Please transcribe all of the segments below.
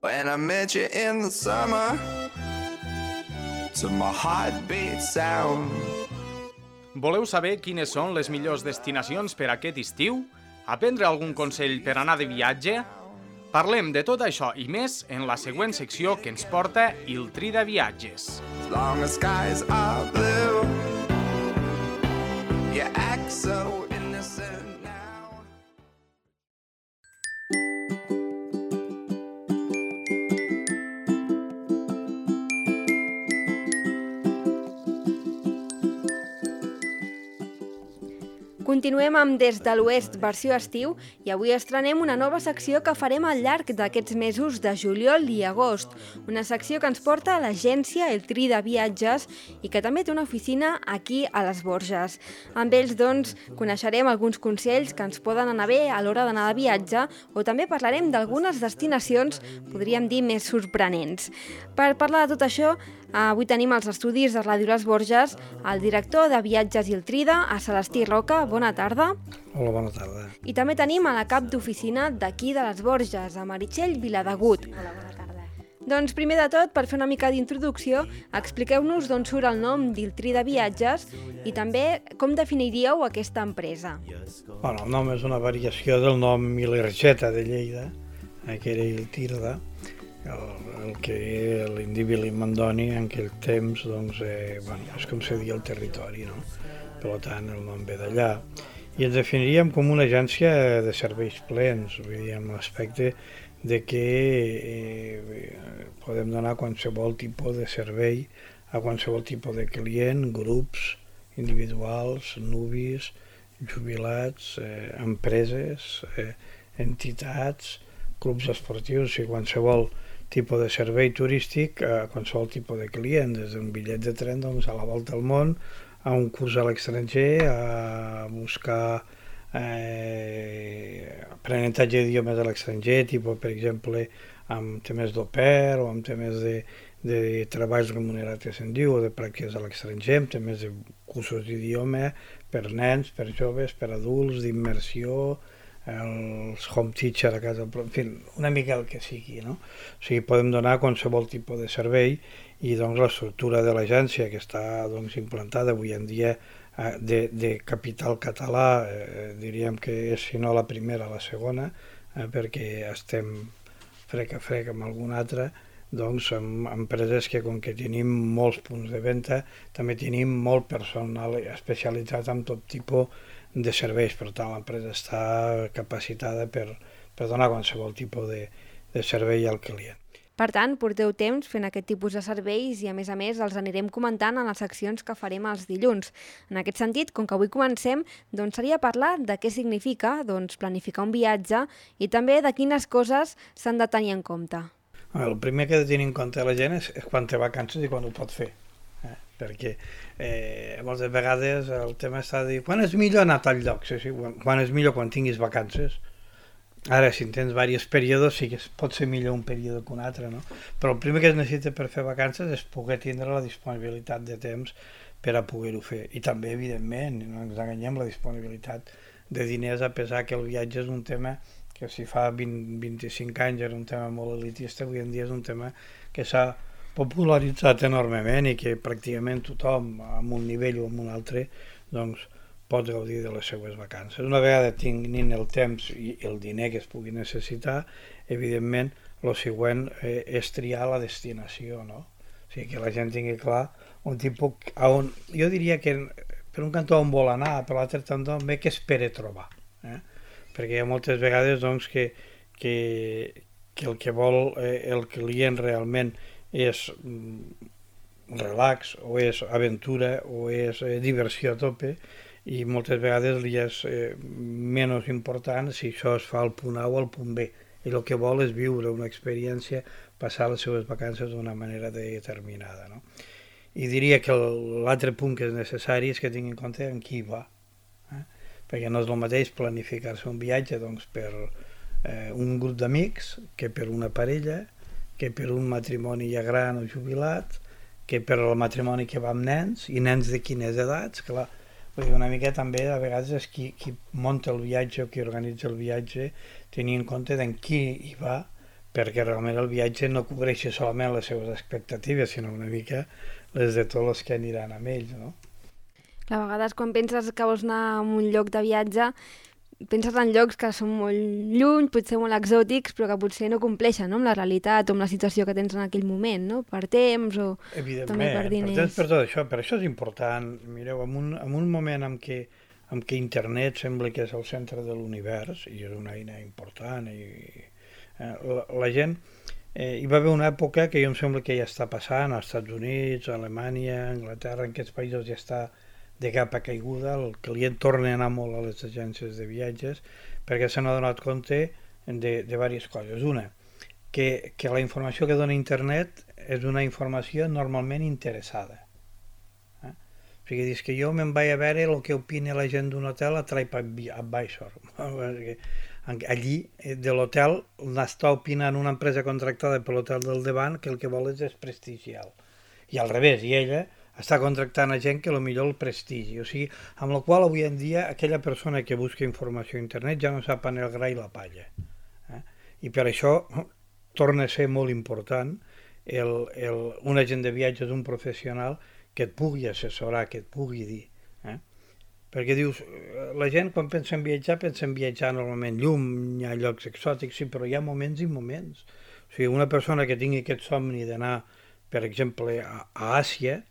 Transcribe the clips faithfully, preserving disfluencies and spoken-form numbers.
When I met you in the summer, to my heartbeat sound. Voleu saber quines són les millors destinacions per aquest estiu? Aprendre algun consell per anar de viatge? Parlem de tot això i més en la següent secció que ens porta Il Trida Viatges. As long as skies are blue, you act so innocent now. Continuem amb Des de l'Oest, versió estiu, i avui estrenem una nova secció que farem al llarg d'aquests mesos de juliol i agost. Una secció que ens porta a l'agència El Trida Viatges i que també té una oficina aquí a les Borges. Amb ells, doncs, coneixerem alguns consells que ens poden anar bé a l'hora d'anar de viatge o també parlarem d'algunes destinacions, podríem dir, més sorprenents. Per parlar de tot això, avui tenim als estudis de Ràdio Les Borges el director de Viatges Il Trida, a Celestí Roca. Bona tarda. Hola, bona tarda. I també tenim a la cap d'oficina d'aquí de les Borges, a Meritxell Viladegut. Hola, bona tarda. Doncs primer de tot, per fer una mica d'introducció, expliqueu-nos d'on surt el nom d'Il Trida Viatges i també com definiríeu aquesta empresa. Bueno, el nom és una variació del nom Ilergeta de Lleida, que era Il Trida, el, el que l'Indi Mandoni en aquell temps, doncs, eh, bueno, és com se diu el territori, no? Per tant, el nom ve d'allà. I ens definiríem com una agència de serveis plens, vull dir, amb l'aspecte de que eh, podem donar qualsevol tipus de servei a qualsevol tipus de client, grups individuals, nuvis, jubilats, eh, empreses, eh, entitats, clubs esportius i qualsevol tipus de servei turístic a qualsevol tipus de client, des d'un bitllet de tren, doncs, a la volta al món, a un curs a l'estranger, a buscar eh, aprenentatge d'idiomes a l'estranger, tipus, per exemple, amb temes d'au pair o amb temes de, de treballs remunerats, que se'n diu, o de pràctiques a l'estranger, amb temes de cursos d'idioma per nens, per joves, per adults, d'immersió, els home teacher a casa, en fi, una mica el que sigui, no? O sigui, podem donar qualsevol tipus de servei i doncs l'estructura de l'agència que està doncs, implantada avui en dia de, de capital català, eh, diríem que és si no la primera, la segona, eh, perquè estem frec a frec amb alguna altra, doncs amb empreses que com que tenim molts punts de venda, també tenim molt personal especialitzat en tot tipus de serveis, per tant l'empresa està capacitada per, per donar qualsevol tipus de, de servei al client. Per tant, porteu temps fent aquest tipus de serveis i, a més a més, els anirem comentant en les seccions que farem els dilluns. En aquest sentit, com que avui comencem, doncs seria parlar de què significa doncs, planificar un viatge i també de quines coses s'han de tenir en compte. El primer que ha de tenir en compte la gent és, és quan té vacances i quan ho pot fer. Eh? Perquè eh, moltes vegades el tema està de dir quan és millor anar a tal lloc? Sí, sí, quan, quan és millor quan tinguis vacances. Ara, si en tens diversos períodes, sí que pot ser millor un període que un altre, no? Però el primer que es necessita per fer vacances és poder tindre la disponibilitat de temps per a poder-ho fer. I també, evidentment, no ens enganyem, la disponibilitat de diners, a pesar que el viatge és un tema que si fa vint a vint-i-cinc anys era un tema molt elitista, avui en dia és un tema que s'ha popularitzat enormement i que pràcticament tothom, amb un nivell o amb un altre, doncs, pot gaudir de les seues vacances. Una vegada tinguin el temps i el diner que es pugui necessitar, evidentment, el següent eh, és triar la destinació, no? O sigui, que la gent tingui clar un tipus on, jo diria que per un cantó on vol anar, per l'altre cantó bé que espera trobar. Eh? Perquè hi ha moltes vegades doncs, que, que, que el que vol eh, el client realment és mm, relax, o és aventura, o és eh, diversió a tope, i moltes vegades li és eh, menys important si això es fa al punt A o al punt B. I el que vol és viure una experiència, passar les seves vacances d'una manera determinada. No? I diria que l'altre punt que és necessari és que tingui en compte en qui va. Eh? Perquè no és el mateix planificar-se un viatge doncs, per eh, un grup d'amics que per una parella, que per un matrimoni ja gran o jubilat, que per el matrimoni que va amb nens, i nens de quines edats, clar. Una mica també a vegades és qui, qui munta el viatge o qui organitza el viatge tenir en compte d'en qui hi va perquè realment el viatge no cobreixi solament les seves expectatives, sinó una mica les de tots els que aniran amb ells, no? A vegades quan penses que vols anar a un lloc de viatge, penses en llocs que són molt lluny, potser molt exòtics, però que potser no compleixen, no?, amb la realitat o amb la situació que tens en aquell moment, no?, per temps o també per diners. Per temps, per tot això, per això és important. Mireu, en un, en un moment en què, en què internet sembla que és el centre de l'univers, i és una eina important, i eh, la, la gent... Eh, hi va haver una època que jo em sembla que ja està passant, als Estats Units, a Alemanya, a Anglaterra, en aquests països ja està de capa caiguda, el client torna a anar molt a les agències de viatges perquè se n'ha donat compte de, de diverses coses. Una, que, que la informació que dona internet és una informació normalment interessada. Eh? O sigui, dius que jo me'n vaig a veure el que opina la gent d'un hotel a TripAdvisor. Allí, de l'hotel, n'està opinant una empresa contractada per l'hotel del davant que el que vol és desprestigiar-lo. I al revés, i ella està contractant a gent que potser el prestigi. O sigui, amb la qual avui en dia aquella persona que busca informació a internet ja no sap on el gra i la palla. Eh? I per això torna a ser molt important el, el, un agent de viatges, un professional que et pugui assessorar, que et pugui dir. Eh? Perquè dius, la gent quan pensa en viatjar, pensa en viatjar normalment llum, hi ha llocs exòtics, sí, però hi ha moments i moments. O sigui, una persona que tingui aquest somni d'anar, per exemple, a, a Àsia,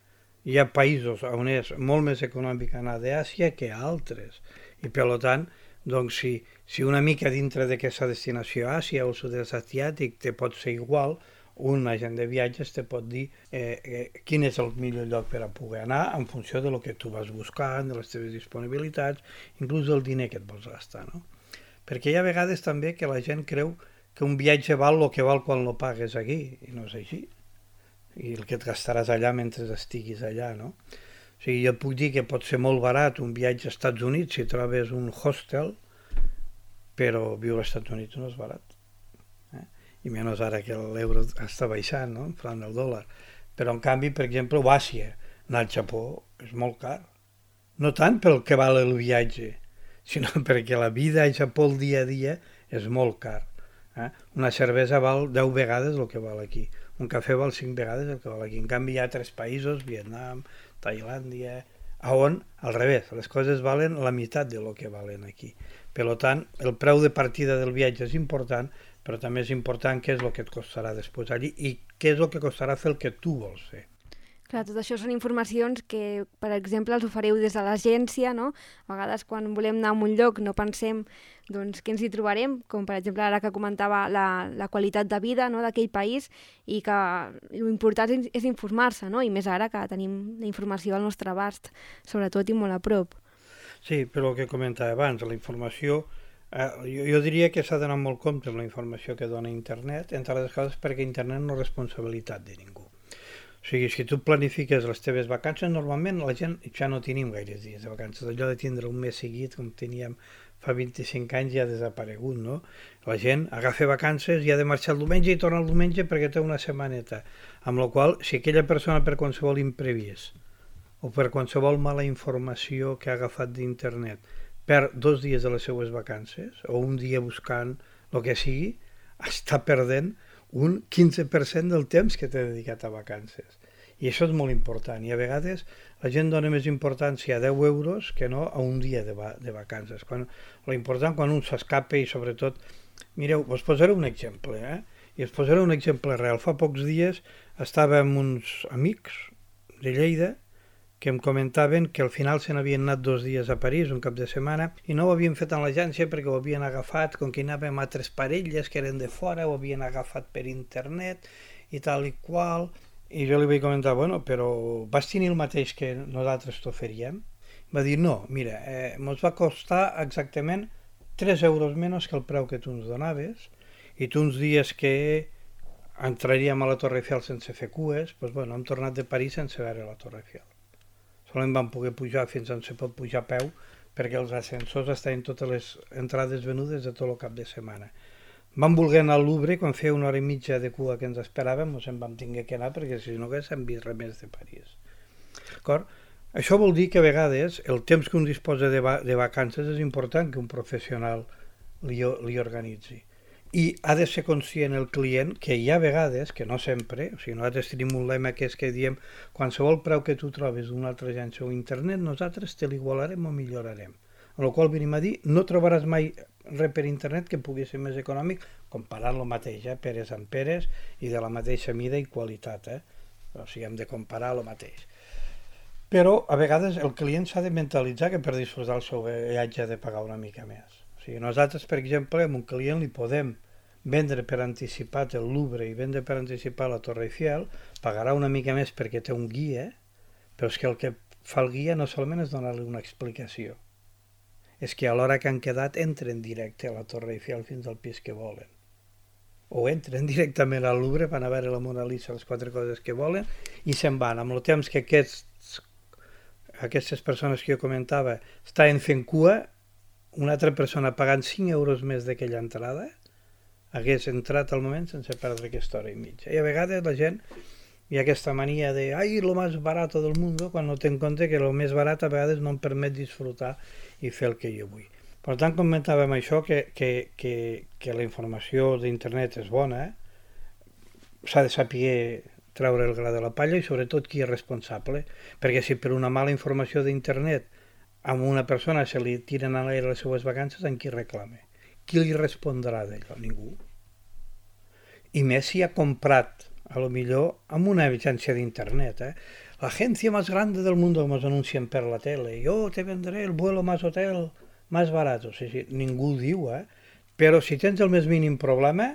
hi ha països on és molt més econòmic anar d'Àsia que a altres. I per tant, doncs, si, si una mica dintre d'aquesta destinació Àsia o sud-est asiàtic te pot ser igual, un agent de viatges te pot dir eh, eh, quin és el millor lloc per a poder anar en funció de lo que tu vas buscant, de les teves disponibilitats, inclús del diner que et vols gastar, no? Perquè hi ha vegades també que la gent creu que un viatge val el que val quan lo pagues aquí, i no és així. I el que et gastaràs allà mentre estiguis allà, no? O sigui, jo et puc dir que pot ser molt barat un viatge als Estats Units si trobes un hostel, però viure als Estats Units no és barat. Eh? I menys ara que l'euro està baixant, no?, enfront del dòlar. Però, en canvi, per exemple, a Àsia, anar al Japó és molt car. No tant pel que val el viatge, sinó perquè la vida al Japó el dia a dia és molt car. Eh? Una cervesa val deu vegades el que val aquí. Un cafè val cinc vegades el que val aquí. En canvi, hi ha tres països, Vietnam, Tailàndia, on, al revés, les coses valen la meitat de lo que valen aquí. Per tant, el preu de partida del viatge és important, però també és important què és el que et costarà després allí i què és el que costarà fer el que tu vols fer. Clar, tot això són informacions que, per exemple, els oferiu des de l'agència, no? A vegades, quan volem anar a un lloc, no pensem doncs, què ens hi trobarem, com per exemple ara que comentava la, la qualitat de vida, no?, d'aquell país, i que l'important és, és informar-se, no?, i més ara que tenim la informació al nostre abast, sobretot i molt a prop. Sí, però el que comentava abans, la informació, eh, jo, jo diria que s'ha d'anar molt compte amb la informació que dona internet, entre les coses perquè internet no és responsabilitat de ningú. O sigui, si tu planifiques les teves vacances, normalment la gent ja no tenim gaires dies de vacances. Allò de tindre un mes seguit, com teníem fa vint-i-cinc anys, ja ha desaparegut, no? La gent agafa vacances i ha de marxar el diumenge i torna el diumenge perquè té una setmaneta. Amb la qual, si aquella persona per qualsevol imprevist o per qualsevol mala informació que ha agafat d'internet perd dos dies de les seues vacances o un dia buscant el que sigui, està perdent un quinze per cent del temps que t'he dedicat a vacances. I això és molt important. I a vegades la gent dona més importància a deu euros que no a un dia de, va de vacances. Quan, l'important quan un s'escapa i sobretot... Mireu, us posaré un exemple, eh? I us posaré un exemple real. Fa pocs dies estava amb uns amics de Lleida que em comentaven que al final se n'havien anat dos dies a París, un cap de setmana, i no ho havien fet en l'agència perquè ho havien agafat, com que anàvem a altres parelles que eren de fora, ho havien agafat per internet i tal i qual, i jo li vaig comentar, bueno, però vas tenir el mateix que nosaltres t'oferíem? Va dir, no, mira, eh, ens va costar exactament tres euros menys que el preu que tu ens donaves, i tu uns dies que entraríem a la Torre Eiffel sense fer cues, doncs bueno, hem tornat de París sense veure la Torre Eiffel. Solament vam poder pujar fins on se pot pujar a peu perquè els ascensors estaven totes les entrades venudes de tot el cap de setmana. Vam voler anar al Louvre quan feia una hora i mitja de cua que ens esperàvem, ens en vam tinguer que anar perquè si no haguéssim vist res més de París. D'acord? Això vol dir que a vegades el temps que un disposa de, va de vacances és important que un professional li, li organitzi. i ha de ser conscient el client que hi ha vegades, que no sempre, o sigui, nosaltres tenim un lema que és que diem qualsevol preu que tu trobes d'una altra agència o internet, nosaltres te l'igualarem o millorarem. Amb la qual venim a dir, no trobaràs mai res per internet que pugui ser més econòmic, comparant lo mateix, eh? peres amb peres i de la mateixa mida i qualitat, eh? O sigui, hem de comparar lo mateix. Però a vegades el client s'ha de mentalitzar que per disfrutar el seu viatge ha de pagar una mica més. O sigui, nosaltres, per exemple, amb un client li podem vendre per anticipat el Louvre i vendre per anticipat la Torre Eiffel, pagarà una mica més perquè té un guia, però és que el que fa el guia no solament és donar-li una explicació, és que a l'hora que han quedat entren directe a la Torre Eiffel fins al pis que volen. O entren directament al Louvre, van a veure la Mona Lisa, les quatre coses que volen, i se'n van. Amb el temps que aquests, aquestes persones que jo comentava estaven fent cua, una altra persona pagant cinc euros més d'aquella entrada hagués entrat al moment sense perdre aquesta hora i mitja. I a vegades la gent hi ha aquesta mania de ai, lo més barat del món, quan no té en compte que lo més barat a vegades no em permet disfrutar i fer el que jo vull. Per tant, comentàvem això, que, que, que, que la informació d'internet és bona, eh? S'ha de saber treure el gra de la palla i sobretot qui és responsable, perquè si per una mala informació d'internet a una persona se li tiren a l'aire les seues vacances, en qui reclama? Qui li respondrà d'allò? Ningú. I més si ha comprat, a lo millor, amb una agència d'internet, eh? L'agència més grande del món que ens anuncien per la tele, jo te vendré el vuelo más hotel más barato. Sí, sí, ningú ho diu, eh? Però si tens el més mínim problema,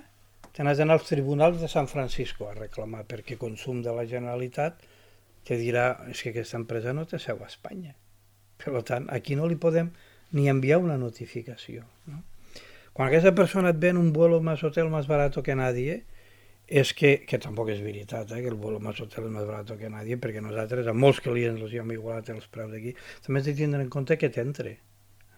te n'has d'anar als tribunals de San Francisco a reclamar, perquè Consum de la Generalitat te dirà és que aquesta empresa no té seu a Espanya. Per tant, aquí no li podem ni enviar una notificació, no? Quan aquesta persona et ven un vuelo más hotel más barato que nadie, és que, que tampoc és veritat, eh, que el vuelo más hotel és més barato que nadie, perquè nosaltres, a molts clients els hem igualat els preus d'aquí, també has de tindre en compte que t'entre.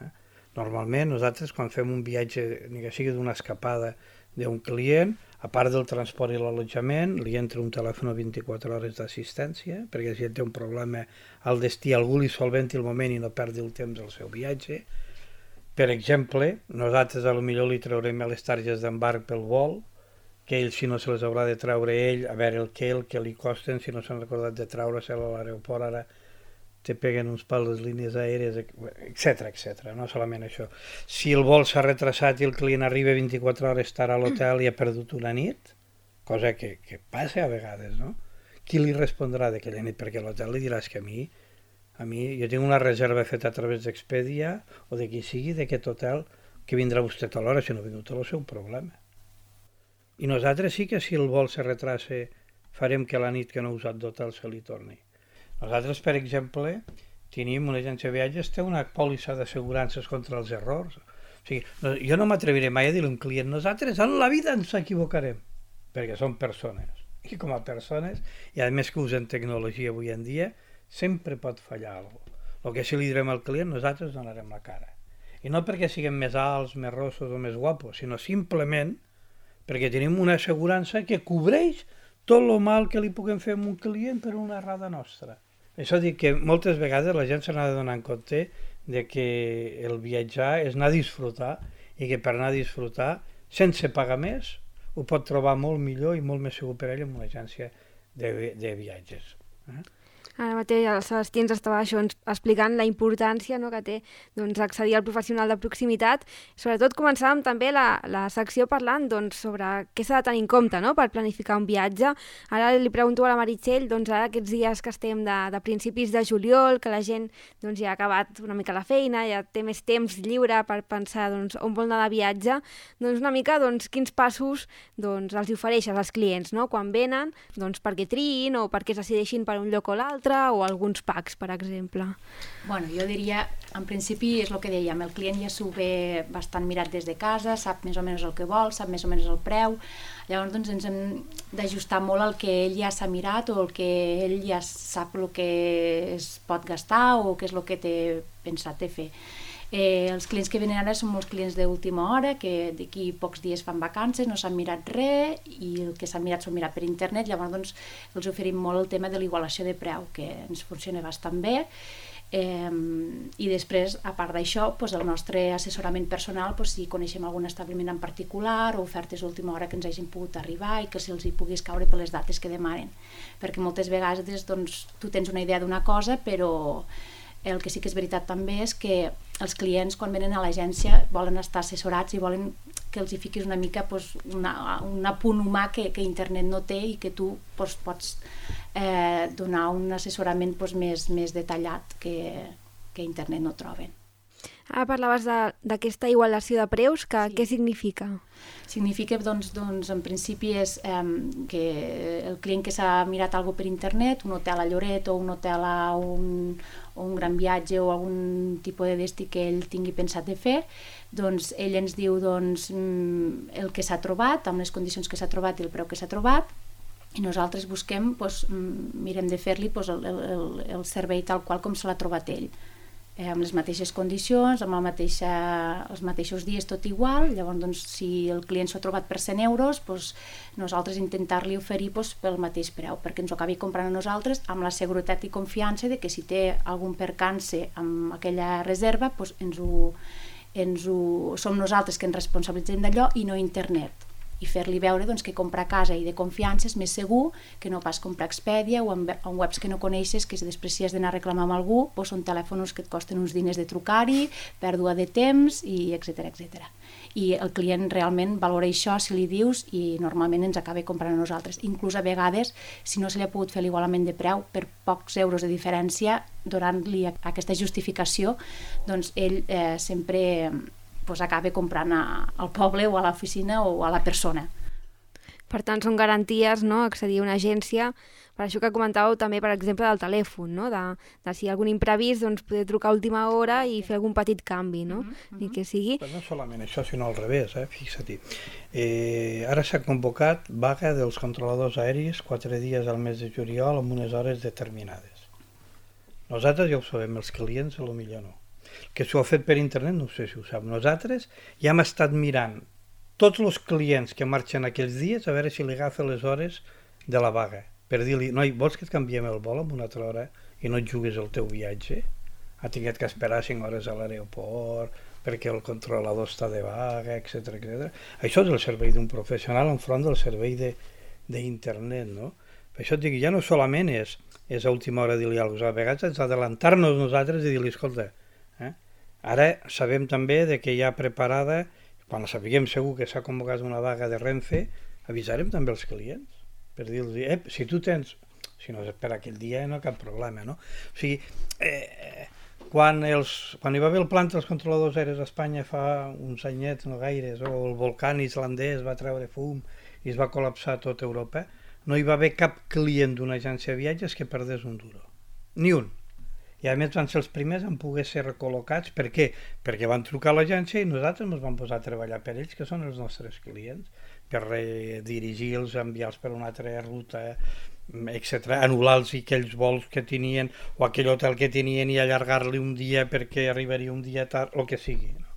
Eh? Normalment, nosaltres, quan fem un viatge, ni que sigui d'una escapada d'un client, a part del transport i l'allotjament, li entra un telèfon vint-i-quatre hores d'assistència, perquè si té un problema al destí, algú li solventi el moment i no perdi el temps del seu viatge. Per exemple, nosaltres a lo millor li traurem les targes d'embarc pel vol, que ell, si no se les haurà de treure ell, a veure el que el que li costen, si no s'han recordat de treure-se a l'aeroport, ara te peguen uns pals les línies aèries, etcètera, etcètera. No solament això. Si el vol s'ha retrasat i el client arriba vint-i-quatre hores tard a l'hotel i ha perdut una nit, cosa que, que passa a vegades, no? Qui li respondrà d'aquella nit? Perquè l'hotel li diràs que a mi, a mi, jo tinc una reserva feta a través d'Expedia o de qui sigui d'aquest hotel, que vindrà vostè a l'hora, si no ha vingut a el seu problema. I nosaltres sí que si el vol se retrasa farem que la nit que no ha usat d'hotel se li torni. Nosaltres, per exemple, tenim una agència de viatges, té una pòlissa d'assegurances contra els errors. O sigui, no, jo no m'atreviré mai a dir a un client, nosaltres en la vida ens equivocarem, perquè som persones. I com a persones, i a més que usen tecnologia avui en dia, sempre pot fallar alguna cosa. El que sí li direm al client, nosaltres donarem la cara. I no perquè siguem més alts, més rossos o més guapos, sinó simplement perquè tenim una assegurança que cobreix tot el mal que li puguem fer a un client per una errada nostra. Això dic que moltes vegades la gent se n'ha de donar en compte de que el viatjar és anar a disfrutar i que per anar a disfrutar, sense pagar més, ho pot trobar molt millor i molt més segur per ell en una agència de, de viatges. Eh? Ara mateix el Sebastià ens estava això, ens explicant la importància, no, que té doncs, accedir al professional de proximitat. Sobretot començàvem també la, la secció parlant doncs, sobre què s'ha de tenir en compte, no, per planificar un viatge. Ara li pregunto a la Meritxell, doncs, ara aquests dies que estem de, de principis de juliol, que la gent doncs, ja ha acabat una mica la feina, ja té més temps lliure per pensar doncs, on vol anar de viatge, doncs una mica doncs, quins passos doncs, els ofereixes als clients, no? Quan venen, doncs, perquè triïn o perquè es decideixin per un lloc o l'altre, o alguns packs, per exemple. Bueno, jo diria, en principi és el que dèiem, el client ja s'ho ve bastant mirat des de casa, sap més o menys el que vol, sap més o menys el preu, llavors doncs, ens hem d'ajustar molt al que ell ja s'ha mirat o el que ell ja sap el que es pot gastar o què és el que té pensat de fer. Eh, els clients que venen ara són molts clients d'última hora, que d'aquí pocs dies fan vacances, no s'han mirat res i el que s'han mirat s'ho han mirat per internet, llavors doncs, els oferim molt el tema de l'igualació de preu, que ens funciona bastant bé. Eh, I després, a part d'això, doncs el nostre assessorament personal, doncs, si coneixem algun establiment en particular o ofertes d'última hora que ens hagin pogut arribar i que se'ls hi puguis caure per les dates que demanen. Perquè moltes vegades doncs, tu tens una idea d'una cosa, però el que sí que és veritat també és que els clients quan venen a l'agència volen estar assessorats i volen que els hi fiquis una mica doncs, una, un apunt humà que, que internet no té i que tu doncs, pots eh, donar un assessorament doncs, més, més detallat que, que internet no troben. Ara parlaves d'aquesta igualació de preus, que, sí. Què significa? Significa, doncs, doncs en principi és eh, que el client que s'ha mirat alguna per internet, un hotel a Lloret o un hotel a un, o un gran viatge o algun tipus de destí que ell tingui pensat de fer, doncs ell ens diu doncs, el que s'ha trobat, amb les condicions que s'ha trobat i el preu que s'ha trobat, i nosaltres busquem, doncs, mirem de fer-li doncs, el, el, el servei tal qual com se l'ha trobat ell. Eh, amb les mateixes condicions, amb la mateixa, els mateixos dies, tot igual. Llavors, doncs, si el client s'ho ha trobat per cent euros, doncs, nosaltres intentar-li oferir doncs, pel mateix preu, perquè ens ho acabi comprant a nosaltres amb la seguretat i confiança de que si té algun percance amb aquella reserva, doncs, ens ho, ens ho, som nosaltres que ens responsabilitzem d'allò i no internet. I fer-li veure doncs, que comprar a casa i de confiança és més segur que no pas comprar a Expedia o en, en webs que no coneixes, que si després si has d'anar a reclamar amb algú, doncs són telèfons que et costen uns diners de trucar-hi, pèrdua de temps, i etcètera, etcètera. I el client realment valora això si li dius i normalment ens acaba comprant a nosaltres. Inclús a vegades, si no se li ha pogut fer l'igualament de preu per pocs euros de diferència, donant-li aquesta justificació, doncs ell eh, sempre pues acaba comprant a, al poble o a l'oficina o a la persona. Per tant, són garanties, no?, accedir a una agència. Per això que comentàveu també, per exemple, del telèfon, no?, de, de si hi ha algun imprevist, doncs poder trucar a última hora i fer algun petit canvi, no?, mm-hmm. i que sigui... Però no solament això, sinó al revés, eh? Fixa-t'hi. Eh, ara s'ha convocat vaga dels controladors aèris quatre dies al mes de juliol amb unes hores determinades. Nosaltres ja ho sabem, els clients a lo millor no. Que s'ho ha fet per internet, no sé si ho sap. Nosaltres ja hem estat mirant tots els clients que marxen aquells dies a veure si li agafa les hores de la vaga. Per dir-li, noi, vols que et canviem el vol amb una altra hora i no et jugues el teu viatge? Ha tingut que esperar cinc hores a l'aeroport perquè el controlador està de vaga, etcètera, etcètera. Això és el servei d'un professional enfront del servei d'internet, no? Per això et dic, ja no solament és, és a última hora dir-li alguna cosa, a vegades és adelantar-nos nosaltres i dir-li, escolta, Eh? ara sabem també de que hi ha preparada, quan sapiguem segur que s'ha convocat una vaga de Renfe, avisarem també els clients per dir-los, eh, si tu tens, si no és per aquell dia no hi ha cap problema, no? O sigui, eh, quan, els, quan hi va haver el plant dels controladors aeris a Espanya fa uns anyets, no gaires, o el volcà islandès va treure fum i es va col·lapsar tota Europa, no hi va haver cap client d'una agència de viatges que perdés un duro, ni un. I a més van ser els primers en poder ser recol·locats. Per què? Perquè van trucar a l'agència i nosaltres ens vam posar a treballar per ells, que són els nostres clients, per redirigir-los, enviar-los per una altra ruta, etcètera, anul·lar-los aquells vols que tenien o aquell hotel que tenien i allargar-li un dia perquè arribaria un dia tard, el que sigui. No?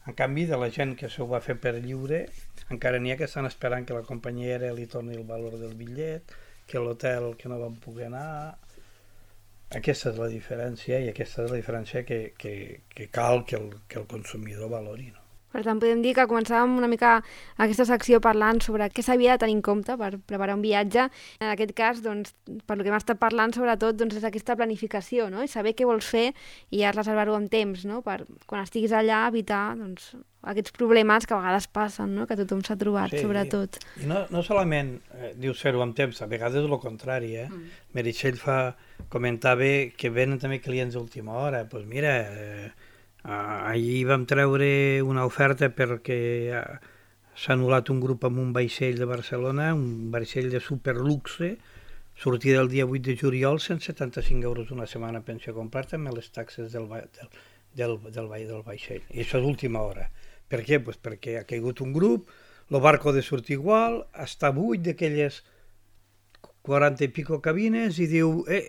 En canvi, de la gent que s'ho va fer per lliure, encara n'hi ha que estan esperant que la companyia aèria li torni el valor del bitllet, que l'hotel que no van poder anar... Aquesta és la diferència i aquesta és la diferència que, que, que cal que el, que el consumidor valori. No? Per tant, podem dir que començàvem una mica aquesta secció parlant sobre què s'havia de tenir en compte per preparar un viatge. En aquest cas, doncs, per lo que hem estat parlant, sobretot, doncs, és aquesta planificació, no? I saber què vols fer i ja reservar-ho amb temps, no? Per quan estiguis allà evitar doncs, aquests problemes que a vegades passen, no? Que tothom s'ha trobat, sí, sobretot. I no, no solament eh, dius fer-ho amb temps, a vegades és el contrari. Eh? Mm. Meritxell fa, comentava que venen també clients d'última hora. Doncs pues mira, eh, ahir vam treure una oferta perquè eh, s'ha anul·lat un grup amb un vaixell de Barcelona, un vaixell de superluxe, sortia el dia vuit de juliol, cent setanta-cinc euros una setmana penso comprar-te amb les taxes del, del, del, del, del vaixell. I això és última hora. Per què? Pues perquè ha caigut un grup, el barco ha de sortir igual, està buit d'aquelles quaranta i pico cabines i diu, eh,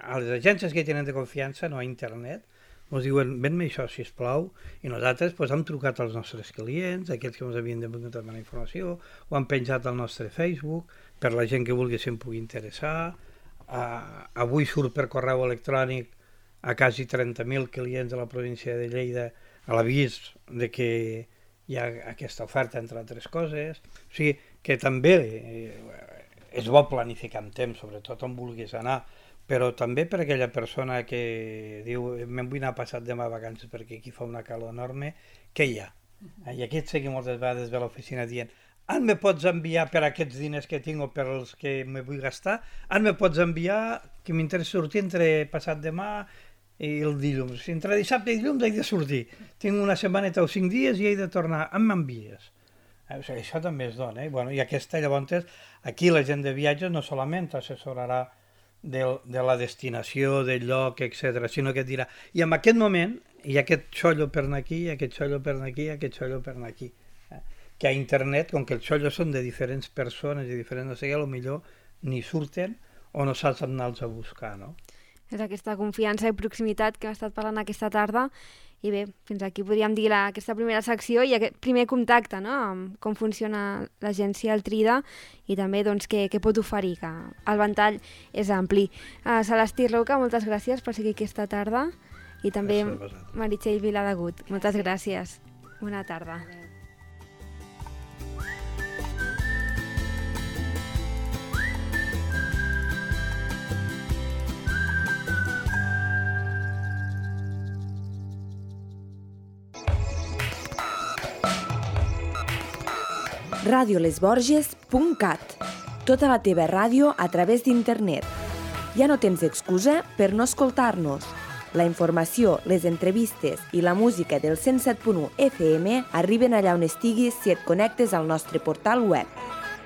a les agències que tenen de confiança, no a internet, ens diuen, ven-me això, sisplau, i nosaltres pues, hem trucat als nostres clients, aquells que ens havien de demanar informació, ho han penjat al nostre Facebook, per la gent que vulgui se'n pugui interessar, uh, avui surt per correu electrònic a quasi trenta mil clients de la província de Lleida a l'avís de que hi ha aquesta oferta, entre altres coses. O sigui, que també eh, és bo planificar amb temps, sobretot on vulguis anar, però també per aquella persona que diu me'n vull anar passat demà a vacances perquè aquí fa una calor enorme, què hi ha? I aquí et segui moltes vegades ve a l'oficina dient en me pots enviar per aquests diners que tinc o per els que me vull gastar, en me pots enviar que m'interessa sortir entre passat demà i el dilluns. Si entre dissabte i dilluns he de sortir. Tinc una setmaneta o cinc dies i he de tornar. En m'envies. Eh, o sigui, això també es dona. Eh? Bueno, i aquesta, llavors, aquí la gent de viatges no solament assessorarà de, de la destinació, del lloc, etcètera, sinó que et dirà, i en aquest moment hi ha aquest xollo per anar aquí, aquest xollo per anar aquí, aquest xollo per anar aquí. Que a internet, com que els xollos són de diferents persones i diferents, no sé què, potser ni surten o no saps anar-los a buscar, no? És aquesta confiança i proximitat que hem estat parlant aquesta tarda. I bé, fins aquí podríem dir la, aquesta primera secció i aquest primer contacte, no?, amb com funciona l'agència El Trida i també doncs, què, què pot oferir, que el ventall és ampli. Uh, Celestí Roca, moltes gràcies per seguir aquesta tarda i també Meritxell Viladegut. Moltes gràcies. Bona tarda. radio les borges punt cat. Tota la teva ràdio a través d'internet. Ja no tens excusa per no escoltar-nos. La informació, les entrevistes i la música del cent set punt u F M arriben allà on estiguis si et connectes al nostre portal web.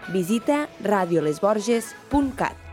Visita radio les borges punt cat.